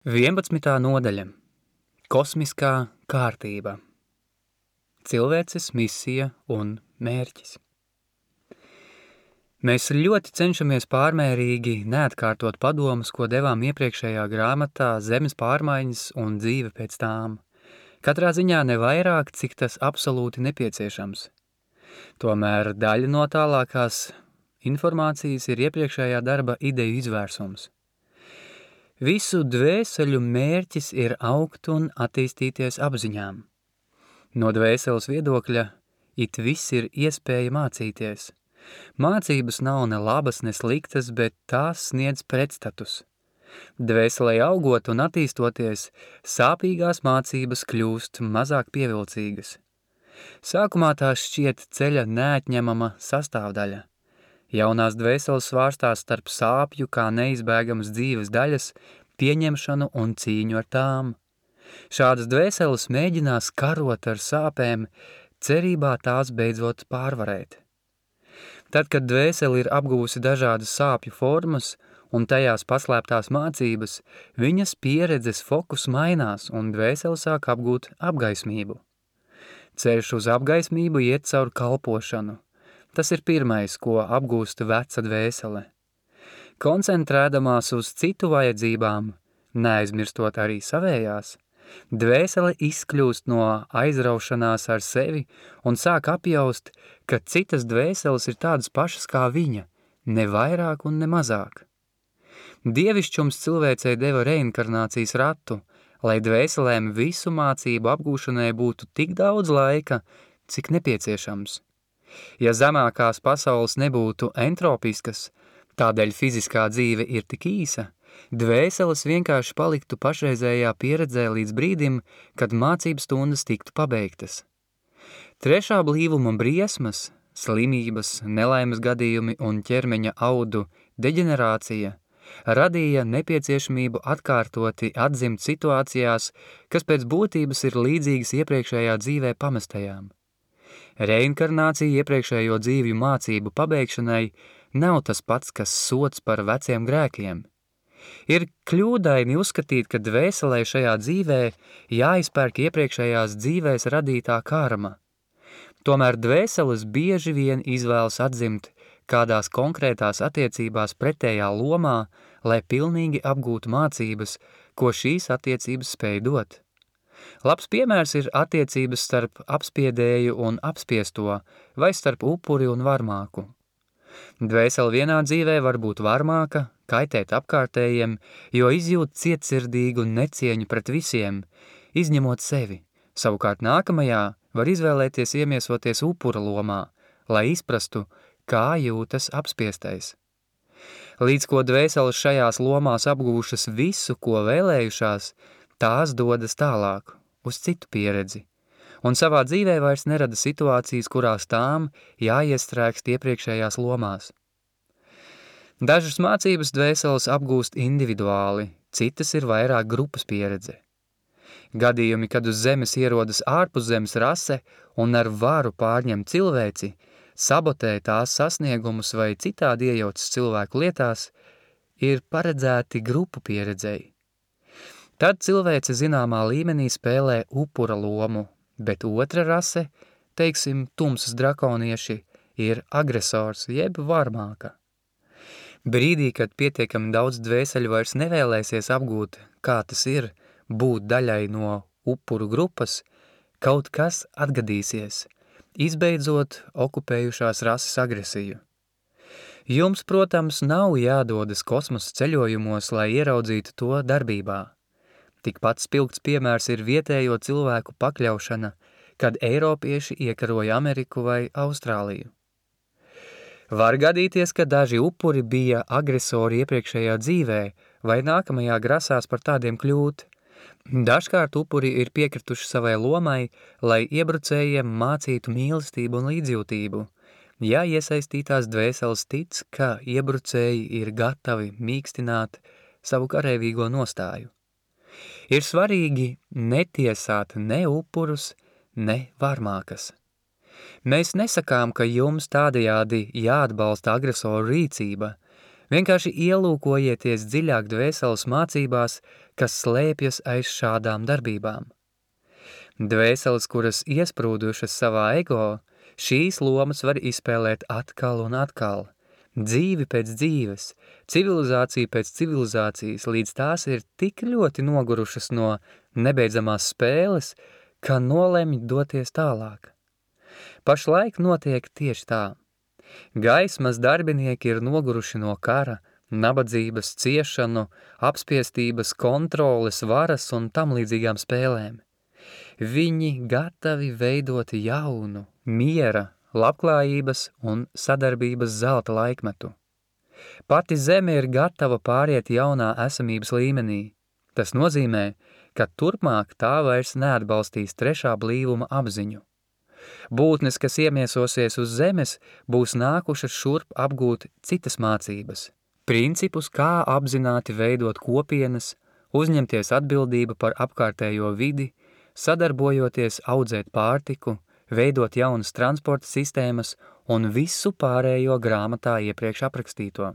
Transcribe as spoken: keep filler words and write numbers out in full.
vienpadsmitā nodaļa. Kosmiskā kārtība. Cilvēces misija un mērķis. Mēs ļoti cenšamies pārmērīgi neatkārtot padomus, ko devām iepriekšējā grāmatā Zemes pārmaiņas un dzīve pēc tām. Katrā ziņā ne vairāk, cik tas absolūti nepieciešams. Tomēr daļa no tālākās informācijas ir iepriekšējā darba ideju izvērsums. Visu dvēseļu mērķis ir augt un attīstīties apziņām. No dvēseles viedokļa it viss ir iespēja mācīties. Mācības nav ne labas, ne sliktas, bet tās sniedz pretstatus. Dvēselē augot un attīstoties, sāpīgās mācības kļūst mazāk pievilcīgas. Sākumā tās šķiet ceļa neatņemama sastāvdaļa. Jaunās dvēseles svārstās starp sāpju kā neizbēgamas dzīves daļas, pieņemšanu un cīņu ar tām. Šādas dvēseles mēģinās karot ar sāpēm, cerībā tās beidzot pārvarēt. Tad, kad dvēseli ir apgūsi dažādas sāpju formas un tajās paslēptās mācības, viņas pieredzes fokus mainās un dvēseli sāk apgūt apgaismību. Ceļš uz apgaismību iet caur kalpošanu. Tas ir pirmais, ko apgūst veca dvēsele. Koncentrēdamās uz citu vajadzībām, neaizmirstot arī savējās, dvēsele izkļūst no aizraušanās ar sevi un sāk apjaust, ka citas dvēseles ir tādas pašas kā viņa, ne vairāk un ne mazāk. Dievišķums cilvēcei deva reinkarnācijas ratu, lai dvēselēm visu mācību apgūšanai būtu tik daudz laika, cik nepieciešams. Ja zemākās pasaules nebūtu entropiskas, tādēļ fiziskā dzīve ir tik īsa, dvēseles vienkārši paliktu pašreizējā pieredzē līdz brīdim, kad mācības stundas tiktu pabeigtas. Trešā blīvuma briesmas, slimības, nelaimes gadījumi un ķermeņa audu deģenerācija radīja nepieciešamību atkārtoti atzimt situācijās, kas pēc būtības ir līdzīgas iepriekšējā dzīvē pamestajām. Reinkarnācija iepriekšējo dzīvju mācību pabeigšanai nav tas pats, kas sots par veciem grēkiem. Ir kļūdaini uzskatīt, ka dvēselē šajā dzīvē jāizpērk iepriekšējās dzīvēs radītā karma. Tomēr dvēseles bieži vien izvēlas atzimt kādās konkrētās attiecībās pretējā lomā, lai pilnīgi apgūtu mācības, ko šīs attiecības spēj dot. Labs piemērs ir attiecības starp apspiedēju un apspiesto, vai starp upuri un varmāku. Dvēsele vienā dzīvē var būt varmāka, kaitēt apkārtējiem, jo izjūt cietsirdīgu necieņu pret visiem, izņemot sevi. Savukārt nākamajā var izvēlēties iemiesoties upura lomā, lai izprastu, kā jūtas apspiestais. Līdz ko dvēseles šajās lomās apgūšas visu, ko vēlējušās, tās dodas tālāk, uz citu pieredzi, un savā dzīvē vairs nerada situācijas, kurās tām jāiestrēgst iepriekšējās lomās. Dažas mācības dvēseles apgūst individuāli, citas ir vairāk grupas pieredze. Gadījumi, kad uz zemes ierodas ārpuszemes rase un ar varu pārņem cilvēci, sabotē tās sasniegumus vai citādi iejaucas cilvēku lietās, ir paredzēti grupu pieredzei. Tad cilvēce zināmā līmenī spēlē upura lomu, bet otra rase, teiksim, tumsas drakonieši, ir agresors jeb varmāka. Brīdī, kad pietiekami daudz dvēseļu vairs nevēlēsies apgūt, kā tas ir būt daļai no upuru grupas, kaut kas atgadīsies, izbeidzot okupējušās rases agresiju. Jums, protams, nav jādodas kosmosa ceļojumos, lai ieraudzītu to darbībā. Tikpat spilgts piemērs ir vietējo cilvēku pakļaušana, kad eiropieši iekaroja Ameriku vai Austrāliju. Var gadīties, ka daži upuri bija agresori iepriekšējā dzīvē vai nākamajā grasās par tādiem kļūt. Dažkārt upuri ir piekrituši savai lomai, lai iebrucējiem mācītu mīlestību un līdzjūtību, ja iesaistītās dvēseles tic, ka iebrucēji ir gatavi mīkstināt savu karavīgo nostāju. Ir svarīgi netiesāt ne upurus, ne varmākas. Mēs nesakām, ka jums tādējādi jāatbalsta agresoru rīcība, Vienkārši ielūkojieties dziļāk dvēseles mācībās, kas slēpjas aiz šādām darbībām. Dvēseles, kuras iesprūdušas savā ego, šīs lomas var izspēlēt atkal un atkal. Dzīvi pēc dzīves, civilizācija pēc civilizācijas, līdz tās ir tik ļoti nogurušas no nebeidzamās spēles, ka nolemj doties tālāk. Pašlaik notiek tieši tā. Gaismas darbinieki ir noguruši no kara, nabadzības, ciešanu, apspiestības, kontroles, varas un tam līdzīgām spēlēm. Viņi gatavi veidot jaunu, miera, labklājības un sadarbības zelta laikmetu. Pati zeme ir gatava pāriet jaunā esamības līmenī. Tas nozīmē, ka turpmāk tā vairs neatbalstīs trešā blīvuma apziņu. Būtnes, kas iemiesosies uz zemes, būs nākušas šurp apgūt citas mācības, principus, kā apzināti veidot kopienas, uzņemties atbildību par apkārtējo vidi, sadarbojoties audzēt pārtiku, veidot jaunas transporta sistēmas un visu pārējo grāmatā iepriekš aprakstīto.